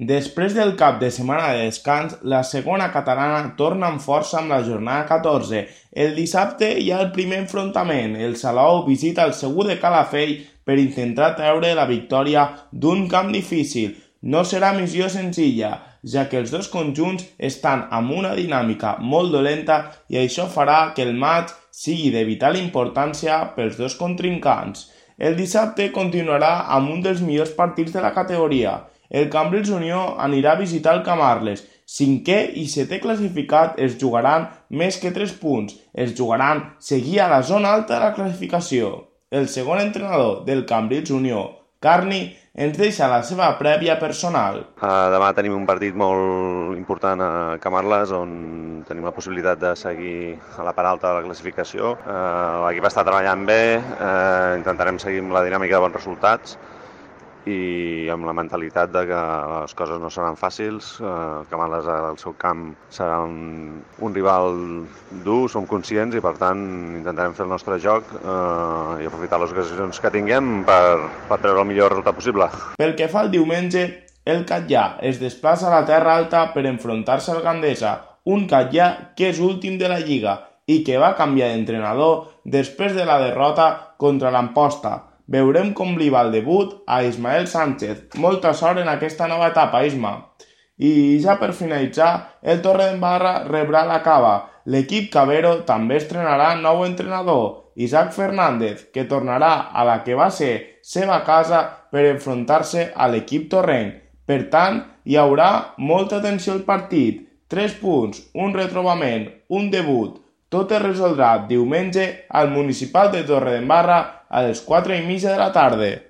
Després del cap de setmana de descans, la segona catalana torna amb força amb la jornada 14. El dissabte hi ha el primer enfrontament. El Salou visita el Segur de Calafell per intentar treure la victòria d'un camp difícil. No serà missió senzilla, ja que els dos conjunts estan amb una dinàmica molt dolenta i això farà que el maig sigui de vital importància pels dos contrincants. El dissabte continuarà amb un dels millors partits de la categoria. El Cambrils Unió anirà a visitar el Camarles. Cinquè i setè classificat es jugaran més que 3 punts. Es jugaran seguir a la zona alta de la classificació. El segon entrenador del Cambrils Unió, Carni, ens deixa la seva prèvia personal. Demà tenim un partit molt important a Camarles on tenim la possibilitat de seguir a la part alta de la classificació. L'equip està treballant bé, intentarem seguir amb la dinàmica de bons resultats i amb la mentalitat de que les coses no seran fàcils. Camarles al seu camp serà un rival dur, som conscients, i per tant intentarem fer el nostre joc i aprofitar les ocasions que tinguem per treure el millor resultat possible. Pel que fa al diumenge, el Catllà es desplaça a la Terra Alta per enfrontar-se al Gandesa, un Catllà que és últim de la Lliga i que va canviar d'entrenador després de la derrota contra l'Amposta. Veurem com li va el debut a Ismael Sánchez. Molta sort en aquesta nova etapa, Isma. I ja per finalitzar, el Torredembarra rebrà la Cava. L'equip Cabero també estrenarà nou entrenador, Isaac Fernández, que tornarà a la que va ser seva casa per enfrontar-se a l'equip torrenc. Per tant, hi haurà molta atenció al partit. 3 punts, un retrobament, un debut. Tot es resoldrà diumenge al Municipal de Torredembarra a les 4:30 de la tarda.